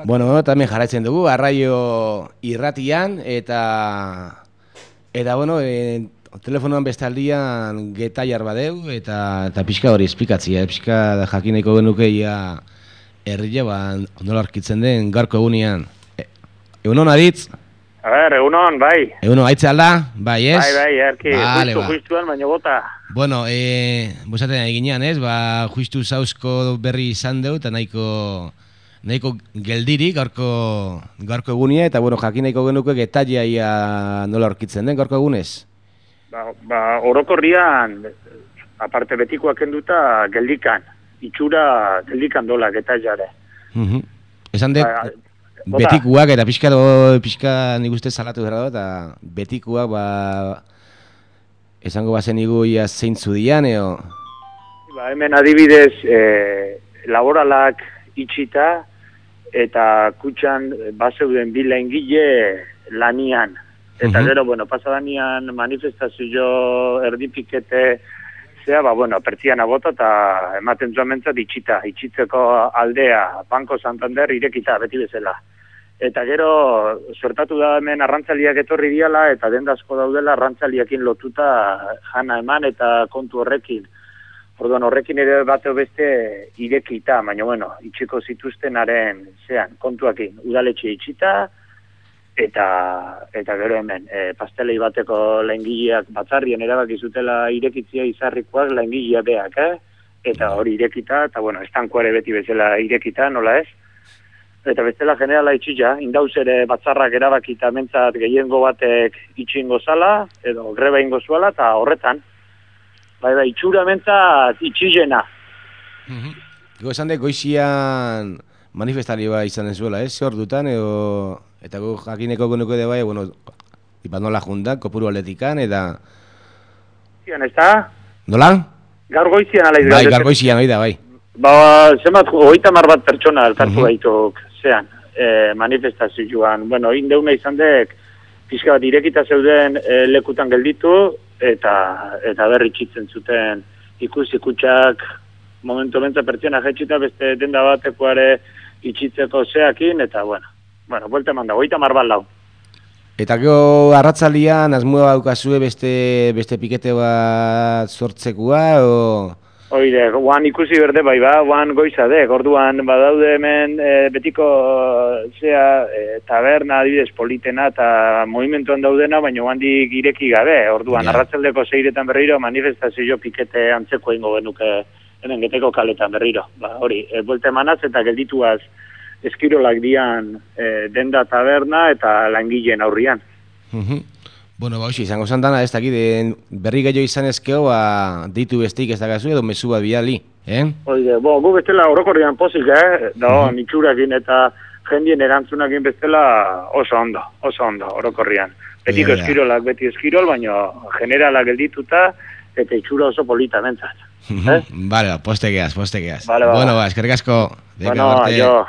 Bueno, también jarraitzen dugu, arraio irratian, eta bueno, telefonoan bestaldian getaiar badeu, eta pixka hori esplikatzia, pixka jakineko genuke ia herria, nola arkitzen den, gaurko egunean. Egunon, Aritz? A ber, egunon, bai. Egunon, aitze alda? Bai, ez? Bai, erki, justuan, baina bota. Bueno, bosaten eginean, ez? Justu zauzko berri izan deu, eta nahiko geldirik gaurko egunia, eta bueno, jakin nahiko genuke getaia ia nola aurkitzen den gaurko egunez? Orokorrian, aparte betikoak enduta, geldikan. Itxura geldikan dola getaiare. Esan dut, betikuak eta pixka nik uste salatu dara eta betikuak, esango bazen igu ia zeintzu dian, eo? Hemen adibidez, laboralak itxita, eta kutxan bazeuden bila ingile lanian. Eta gero, pasadanean manifestazio erdipikete zea, pertsiana bota eta ematen zuen mentzat itxitzeko aldea, Banco Santander irekita, beti bezala. Eta gero, sortatu da hemen arrantzaliak etorri diala, eta dendazko daudela arrantzaliakin lotuta jana eman eta kontu horrekin. Orduan horrekin ere bateo beste irekita, baina itxiko zituztenaren zean, kontuakin, udaletxe itxita, eta gero hemen, pastelei bateko laingileak batzarrien erabakizutela irekitzia izarrikoak laingileak beak, eta hori irekita, eta estankoare beti bezala irekita, nola ez? Eta bestela generala itxita, indauz ere batzarrak erabakita mentzat gehiengo batek itxingo zala, edo greba ingo zuala, eta horretan. Itxura mentzat itxilena. Ego esan dek goizian manifestarioa izan zuela, ze hor dutan, eta jakineko genuko de bai, nola juntan, kopuru atletikan, eta... Zian, ez da? Nola? Gaur goizian alaiz. Bai, gaur goizian, oida, bai. Zemat, 30 bat pertsona elkartu baituk, zean, manifestazioan. Indeuna izan dek, pixka bat irekita zeuden lekutan gelditu, eta berri txitzen zuten ikusi kutxak momentu bentsa pertsiana jetxita beste denda batekoare itxitzeko zeakin, eta buelta eman dago, 30 bat lau. Eta gero arratzalian asmoa daukazue beste pikete bat sortzekua, o... Oide, guan ikusi berde guan goizadek, orduan badaude hemen betiko taberna adibidez politena eta movimentuan daudena, baina guandik ireki gabe, orduan arratzaldeko 6etan berriro manifestazio pikete antzeko ingo genuke hemen geteko kaletan berriro. Hori, buelte emanaz eta geldituaz eskirolak dian denda taberna eta langileen aurrian. Izango zantana ez dakit, berri gehiago izan ezkeo, ditu bestik ez dakazu edo mezu bat bidali, Oide, gu bestela orokorrian pozik, nitxurakin eta jendien erantzunakin bestela oso ondo, orokorrian. Betiko eskirolak, beti eskirol, baina generalak geldituta eta itxura oso polita bentzat. Vale, poste geaz. Vale, eskerrik asko. Jo.